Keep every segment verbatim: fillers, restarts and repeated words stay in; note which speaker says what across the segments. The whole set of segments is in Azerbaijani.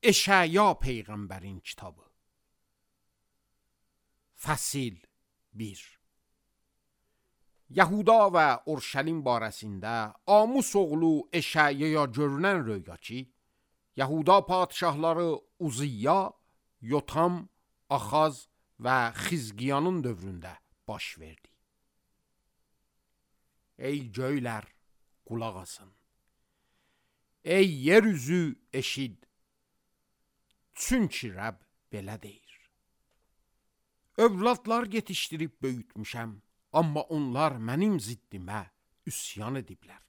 Speaker 1: Eşaya Peyğəmbərin kitabı. Fəsil bir. Yahuda və Urşəlim barəsində Amus oğlu Eşayaya görünən röya ki, Yahuda padişahları Uziyya, Yotam, Axaz və Xizqiyanın dövründə baş verdi. Ey göylər, qulaq asın. Ey yer üzü, eşid. Çünki Rəbb belə deyir. Övladlar yetişdirib böyütmüşəm, amma onlar mənim ziddimə üsyan ediblər.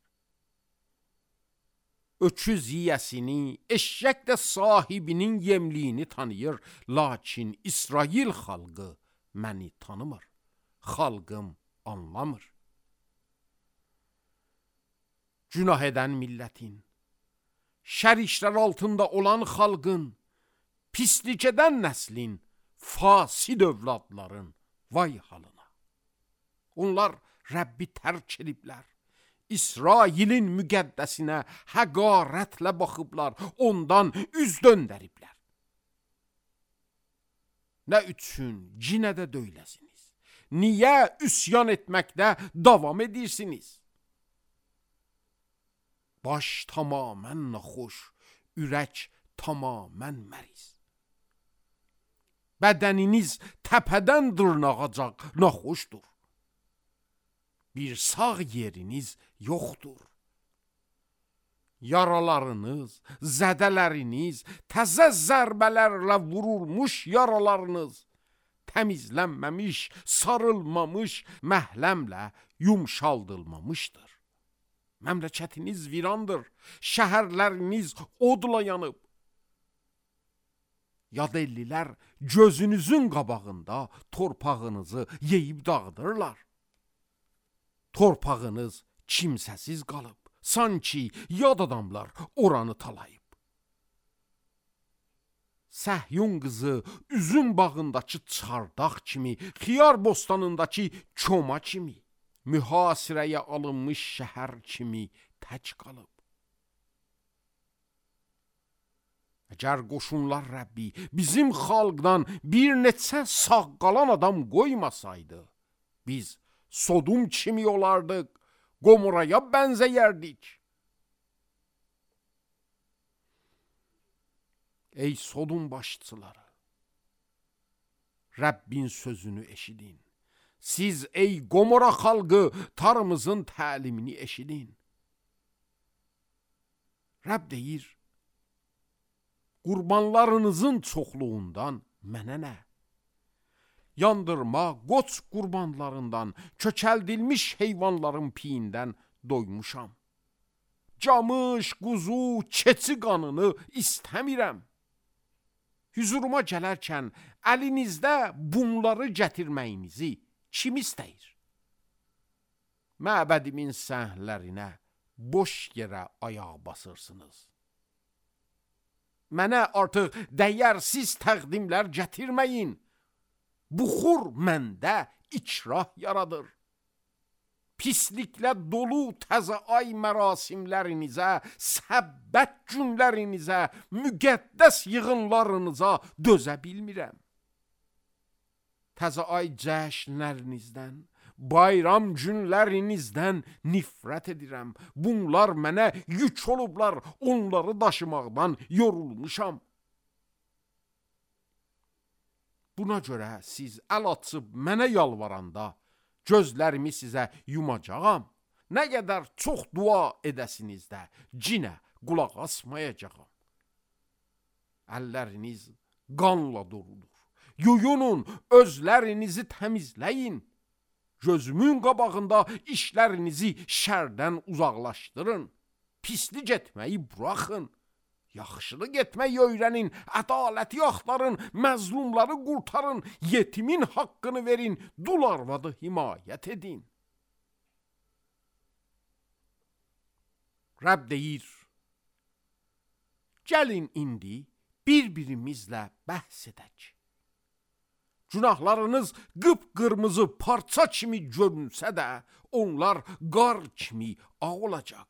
Speaker 1: Öküz yiyəsini, eşşək də sahibinin yemliyini tanıyır, lakin İsrail xalqı məni tanımır, xalqım anlamır. Günah edən millətin, şər işlər altında olan xalqın, pislik edən nəslin, fasid övladların vay halına. Onlar Rəbbi tərk ediblər. İsrailin müqəddəsinə həqarətlə baxıblar, ondan üz döndəriblər. Nə üçün cinə də döyləsiniz? Niyə üsyan etməkdə davam edirsiniz? Baş tamamən naxoş, ürək tamamən məriz. Bədəniniz təpədən dırnağacaq naxoşdur. Bir sağ yeriniz yoxdur. Yaralarınız, zədələriniz, təzə zərbələrlə vurulmuş yaralarınız, təmizlənməmiş, sarılmamış, məhləmlə yumşaldılmamışdır. Məmləkətiniz virandır, şəhərləriniz odla yanıb. Yad ellilər gözünüzün qabağında torpağınızı yeyib dağıdırlar. Torpağınız kimsəsiz qalıb, sanki yad adamlar oranı talayıb. Səhyun qızı üzüm bağındakı çardaq kimi, xiyar bostanındakı koma kimi, mühasirəyə alınmış şəhər kimi tək qalıb. Əgər qoşunlar Rəbbi bizim xalqdan bir neçə sağ qalan adam qoymasaydı, biz Sodum kimi olardıq, Gomoraya bənzəyərdik. Ey Sodum başçıları, Rəbbin sözünü eşidin. Siz ey Gomora xalqı tarımızın təlimini eşidin. Rəbb deyir, qurbanlarınızın çoxluğundan mənə nə? Yandırma, qoç qurbanlarından, kökəldilmiş heyvanların piyindən doymuşam. Camış, quzu, keçi qanını istəmirəm. Hüzuruma gələrkən əlinizdə bunları gətirməyinizi kim istəyir? Məbədimin səhnələrinə boş yerə ayaq basırsınız. Mənə artıq dəyərsiz təqdimlər gətirməyin. Buxur məndə ikrah yaradır. Pisliklə dolu təzə ay mərasimlərinizə, səbbət günlərinizə, müqəddəs yığınlarınıza dözə bilmirəm. Təzə ay cəşnlərinizdən, bayram günlərinizdən nifrət edirəm. Bunlar mənə yük olublar, onları daşımaqdan yorulmuşam. Buna görə siz əl açıb mənə yalvaranda, gözlərimi sizə yumacağam. Nə qədər çox dua edəsiniz də, cinə qulaq asmayacağam. Əlləriniz qanla doludur. Yuyunun, özlərinizi təmizləyin. Gözümün qabağında işlərinizi şərdən uzaqlaşdırın. Pislik etməyi buraxın. Yaxşılıq etməyi öyrənin, ədaləti axtarın, məzlumları qurtarın, yetimin haqqını verin, dul arvadı himayət edin. Rəbb deyir, gəlin indi bir-birimizlə bəhs edək. Günahlarınız qıpqırmızı parça kimi görünsə də, onlar qar kimi ağ olacaq.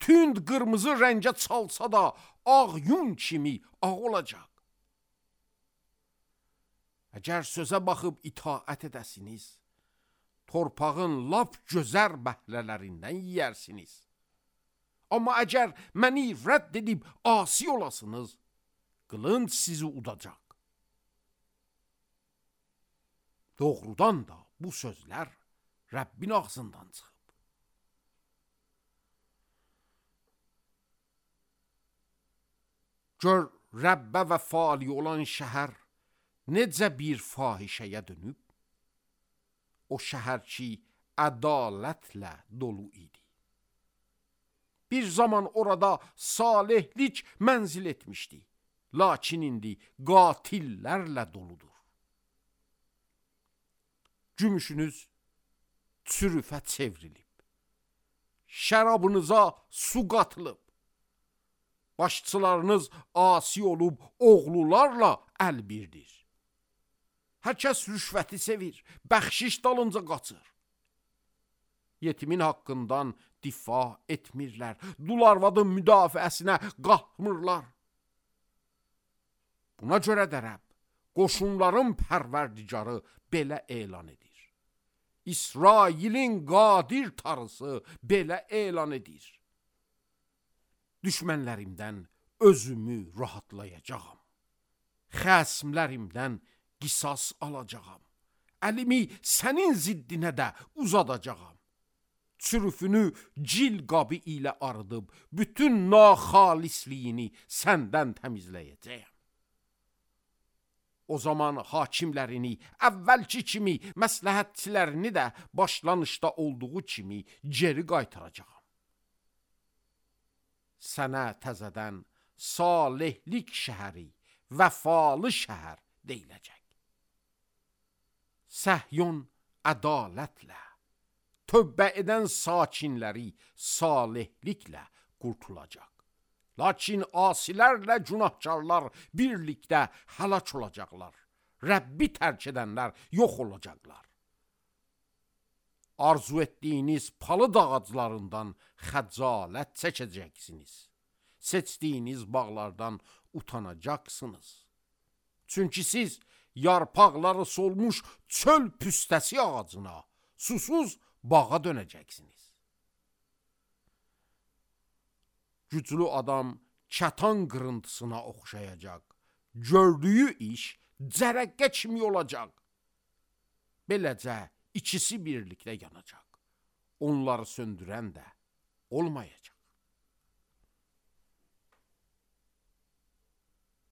Speaker 1: Tünd qırmızı rəngə çalsa da ağ yun kimi ağ olacaq. Əgər sözə baxıb itaət edəsiniz, torpağın lap gözər bəhlələrindən yiyərsiniz. Amma əgər məni rədd edib asi olasınız, qılınc sizi udacaq. Doğrudan da bu sözlər Rəbbin ağzından çıxıb. Gör Rəbbə vəfali olan şəhər necə bir fahişəyə dönüb? O şəhər ki, ədalətlə dolu idi. Bir zaman orada salihlik mənzil etmişdi. Lakin indi qatillərlə doludur. Gümüşünüz çürüfə çevrilib. Şərabınıza su qatılıb. Başçılarınız asi olub oğlularla əlbirdir. Hər kəs rüşvəti sevir, bəxşiş dalınca qaçır. Yetimin haqqından difa etmirlər, dul arvadın müdafiəsinə qalxmırlar. Buna görə də Rəbb, qoşunların pərverdigarı belə elan edir. İsrailin qadir tarısı belə elan edir. Düşmənlərimdən özümü rahatlayacağam. Xəsmlərimdən qisas alacağam. Əlimi sənin ziddinə də uzadacağam. Çürüfünü cil qabı ilə arıdıb, bütün naxalisliyini səndən təmizləyəcəyəm. O zaman hakimlərini, əvvəlki kimi məsləhətçilərini də başlanışda olduğu kimi geri qaytaracağam. Sənə təzədən salihlik şəhəri, vəfalı şəhər deyiləcək. Səhyon ədalətlə, tövbə edən sakinləri salihliklə qurtulacaq. Lakin asilərlə günahkarlar birlikdə həlak olacaqlar. Rəbbi tərk edənlər yox olacaqlar. Arzu etdiyiniz palıd ağaclarından xəcalət çəkəcəksiniz. Seçdiyiniz bağlardan utanacaqsınız. Çünki siz yarpaqları solmuş çöl püstəsi ağacına, susuz bağa dönəcəksiniz. Güclü adam kətan qırıntısına oxşayacaq. Gördüyü iş cərəqqə kimi olacaq. Beləcə ikisi birlikdə yanacaq. Onları söndürən də olmayacaq.